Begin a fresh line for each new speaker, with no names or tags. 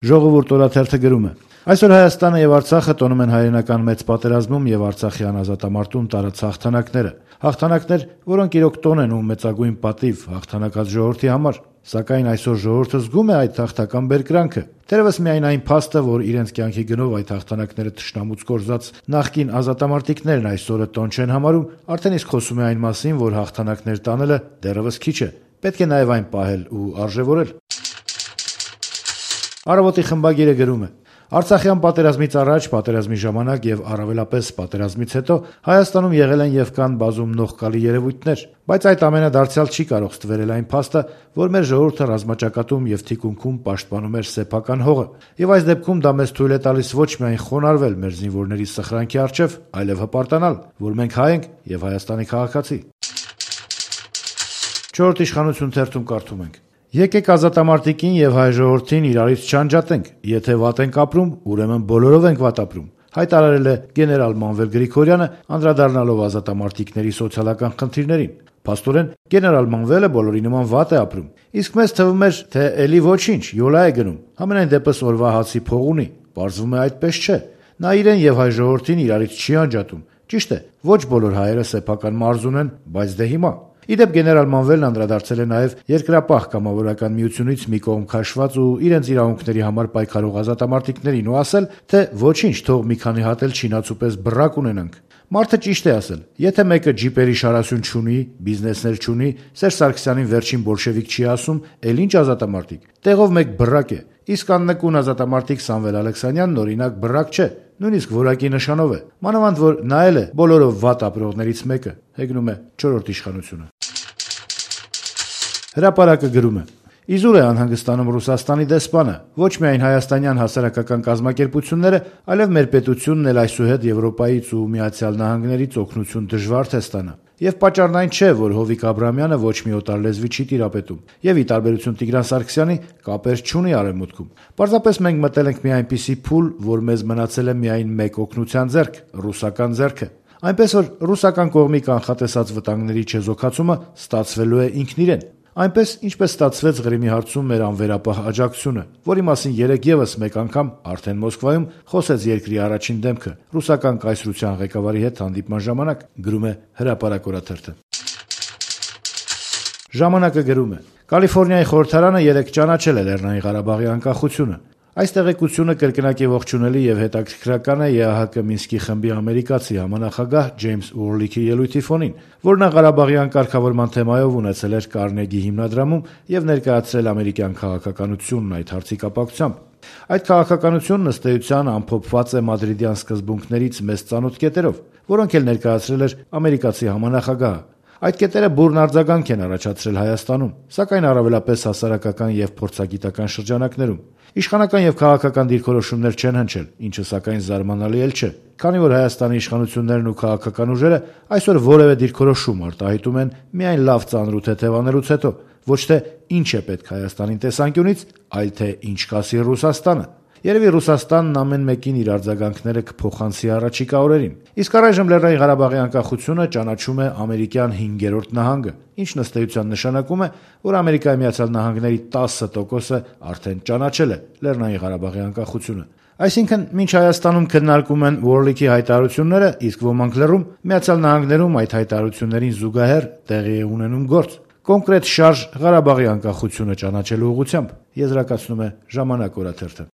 Ժողովուրդ օրաթերթը գրում է. այսօր Հայաստանը եւ Արցախը տոնում են հայրենական մեծ պատերազմում եւ արցախյան ազատամարտում տարած հաղթանակները։ Հաղթանակներ, որոնք իրոք տոն են ու մեծագույն պատիվ հաղթանակած ժողովրդի համար։ Սակայն այսօր ժողովուրդը զգում է այդ հաղթական բերկրանքը։ Թերևս միայն այն փաստը, որ իրենց կյանքի գնով այդ հաղթանակները թշնամուց կորզած նախկին ազատամարտիկներն այսօրը տոն չեն համարում, արդեն իսկ խոսում է այն մասին, որ հաղթանակներ տանելը դեռևս քիչ է։ Պետք է նաեւ այն պահել ու արժեվորել։ Առավոտի խմբագիրը գրում է. Արցախյան պատերազմից առաջ, պատերազմի ժամանակ եւ առավելապես պատերազմից հետո Հայաստանում եղել են եւ կան բազում նողկալի երևույթներ, բայց այդ ամենը դարձյալ չի կարող ստվերել այն փաստը, որ մեր ժողովուրդը ռազմաճակատում եւ թիկունքում պաշտպանում էր սեփական հողը, եւ այս դեպքում դա մեզ թույլ է տալիս ոչ միայն խոնարհվել մեր զինվորների սխրանքի առջեւ, այլև հպարտանալ, որ մենք հայ ենք եւ Հայաստանի քաղաքացի։ 4 իշխանություն թերթում կարդում ենք. Եկեք ազատամարտիկին եւ հայ ժողովրդին իրարից չանջատենք, եթե վատ ենք ապրում, ուրեմն բոլորով ենք վատ ապրում, հայտարարել է գեներալ Մանվել Գրիգորյանը, անդրադառնալով ազատամարտիկների սոցիալական խնդիրներին։ Փաստորեն, գեներալ Մանվելը բոլորի նման վատ է ապրում, իսկ մեզ թվում էր, թե էլի ոչինչ, յոլա է գնում, համենայն դեպս օրվա հացի փող ունի, պարզվում է այդպես չէ, նա իրեն եւ հայ ժողովրդին իրարից չի անջատում, ճիշտ է, ոչ բոլոր հայերը սեփական մարզ ունեն, բայց դե հիմա Իդեպ գեներալ Մանվելն անդրադարձել է նաև երկրապահ կամավորական միությունից մի կողմ քաշված ու իրենց իրավունքների համար պայքարող ազատամարտիկներին ու ասել, թե ոչինչ, թող մի քանի հատ էլ չինացու պես բռակ ունենանք։ Մարդը ճիշտ է ասել, եթե մեկը ջիպերի շարասյուն չունի, բիզնեսներ չունի, Սերժ Սարգսյանին վերջին բոլշևիկ չի ասում, էլ ինչ ազատամարտիկ, տեղով մեկ բռակ է, իսկ աննկուն ազատամարտիկ Սամվել Ալեքսանյանն օրինակ բռակ չէ, նույնիսկ որակի նշանով է, մանավանդ որ նա էլ է բոլորով վատ ապրողներից մեկը, հեգնում է 4-րդ իշխանությունը։ Հրապարակը գրում է. Իզուր է անհանգստանում Ռուսաստանի դեսպանը, ոչ միայն հայաստանյան հասարակական կազմակերպությունները, այլև մեր պետությունն էլ այսուհետ Եվրոպայից ու Միացյալ Նահանգներից օգնություն դժվար թե ստանա։ Եվ պատճառն այն չէ, որ Հովիկ Աբրահամյանը ոչ մի օտար լեզվի չի տիրապետում, եւ ի տարբերություն Տիգրան Սարգսյանի կապեր չունի արևմուտքում։ Պարզապես մենք մտել ենք մի այնպիսի փուլ, որ մեզ մնացել է միայն մեկ օգնության ձեռք՝ ռուսական ձեռքը։ Այնպես որ ռուսական կողմի կանխատեսած վտանգների չեզոքացումը ստացվելու է ինքն իրեն։ Այնպես, ինչպես ստացվեց Ղրիմի հարցում մեր անվերապահ աջակցությունը, որի մասին երեկ եւս մեկ անգամ արդեն Մոսկվայում խոսեց երկրի առաջին դեմքը ռուսական կայսրության ղեկավարի հետ հանդիպման ժամանակ, գրում է Հրապարակ օրաթերթը։ Ժամանակը գրում է. Կալիֆոռնիայի խորհրդարանը երեկ ճանաչել է Լեռնային Ղարաբաղի անկախությունը։ Այս տեղեկությունը կրկնակի ողջունելի եւ հետաքրքրական է ԵԱՀԿ Մինսկի խմբի ամերիկացի համանախագահ Ջեյմս Ուորլիքի ելույթի ֆոնին, որն Ղարաբաղյան կարգավորման թեմայով ունեցել էր Կարնեգի հիմնադրամում եւ ներկայացրել ամերիկյան քաղաքականությունն այդ հարցի կապակցությամբ։ Այդ քաղաքականությունն ըստ էության ամփոփված է մադրիդյան սկզբունքներից մեծ ծանոթ կետերով, որոնք էլ ներկայացրել էր ամերիկացի համանախագահը։ Այդ կետերը բուրն արձագանք են առաջացրել Հայաստանում, սակայն առավելապես հասարակական եւ փորձագիտական շրջանակներում։ Իշխանական եւ քաղաքական դիրքորոշումներ չեն հնչել, ինչը սակայն զարմանալի էլ չէ, քանի որ Հայաստանի իշխանություններն ու քաղաքական ուժերը այսօր որևէ դիրքորոշում արտահայտում են միայն լավ ծանր ու թեթև անելուց հետո, ոչ թե ինչ է պետք Հայաստանին տեսանկյունից, այլ թե ինչ կասի Ռուսաստանը։ Երևի Ռուսաստանն ամեն մեկին իր արձագանքները կփոխանցի առաջիկա օրերին։ Իսկ առայժմ Լեռնային Ղարաբաղի անկախությունը ճանաչում է ամերիկյան 5-րդ նահանգը, ինչն ըստ էության նշանակում է, որ Ամերիկայի Միացյալ Նահանգների 10%-ը արդեն ճանաչել է Լեռնային Ղարաբաղի անկախությունը։ Այսինքն, մինչ Հայաստանում քննարկում են Ուորլիքի հայտարարությունները, իսկ ոմանք լռում, Միացյալ Նահանգներում այդ հայտարարություններին զուգահեռ տեղի է ունենում գործ։ Կոնկրետ շարժ Ղարաբաղի անկախությունը ճանաչելու ուղղությամբ, եզրակացնում է Ժամանակ օրաթերթը։